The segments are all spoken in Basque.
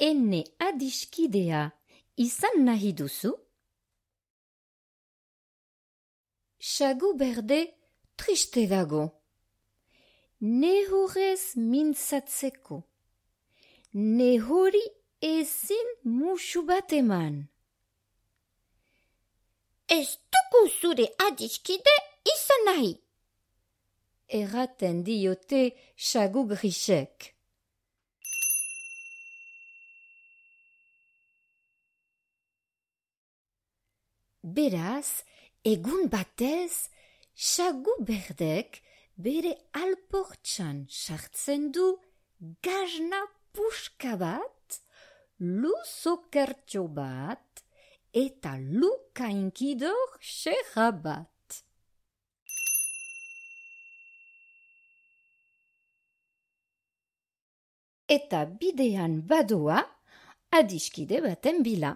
ene adiskidea izan nahi duzu? Sagu berde triste dago. Nehorez mintzatzeko. Nehori ezin musu bat eman. Ez dugu zure adiskide izan nahi. Erraten diote sagu grisek. Beraz, egun batez, sagu berdek bere alportxan sartzen du gazna puska bat, lu zokertxo bat, eta lu kainkidor xerra bat. Eta bidean badoa adiskide baten bila.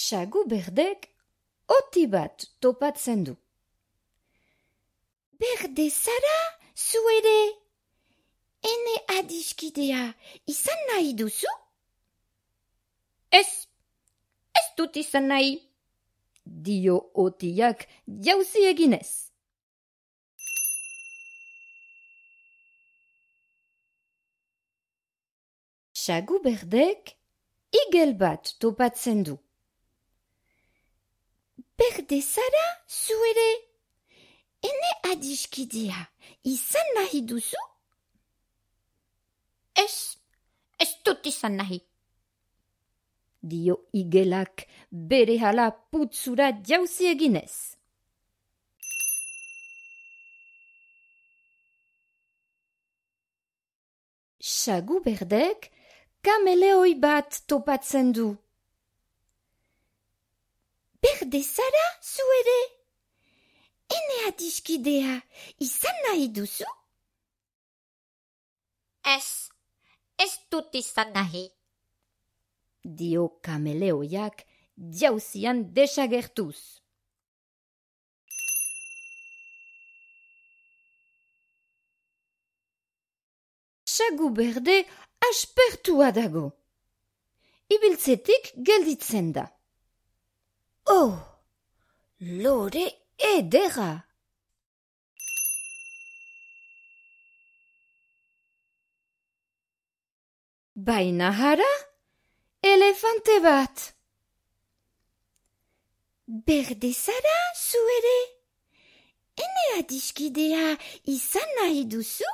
Sagu berdek oti bat topatzen du. Berde zara, zu ere? Ene adiskidea izan nahi duzu? Ez dut izan nahi, dio otiak jauzi eginez. Sagu berdek igel bat topatzen du. Berde zara, zu ere? Ene adiskidea izan nahi duzu? Ez dut izan nahi, dio igelak berehala putzura jauzi eginez. Sagu berdek kameleoi bat topatzen du. Berde zara, zu ere? Ene adiskidea izan nahi duzu? Ez dut izan nahi, dio kameleoiak jauzian desagertuz. Sagu berde aspertua dago. Ibiltzetik gelditzen da. Oh, lore edera! Baina hara, elefante bat. Berde zara, zu ere? Ene adiskidea izan nahi duzu?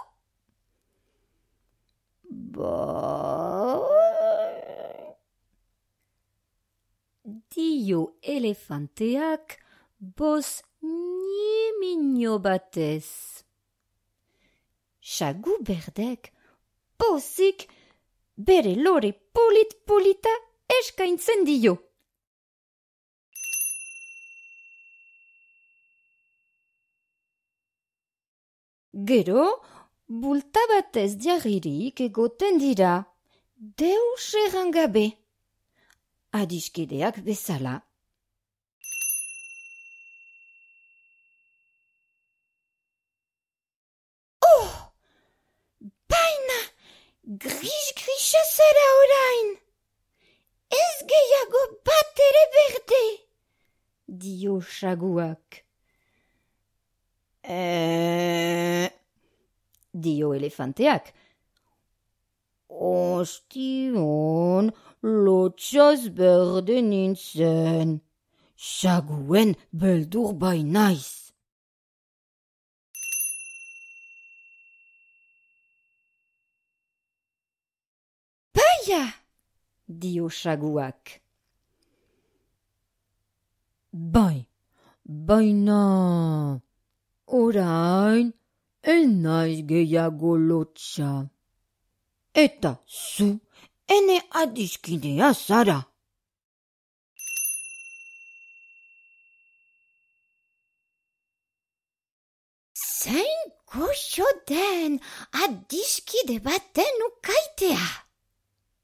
Dio elefanteak boz niemino batez. Sagu berdek pozik bere lore polita eskaintzen dio. Gero, bulta batez jarririk egoten dira, deus errangabe. Adiskideak bezala. Oh! Baina, gris-grisa zara orain! Ez gehiago bat ere berde! Dio saguak. Dio elefanteak. Ostion, lotxaz berde nintzen. Saguen beldur bai naiz. Baia! Dio saguak. Baina, orain, enaiz gehiago lotxa. Eta zu, ene adiskidea zara. Zein goxo den adiskide baten ukaitea.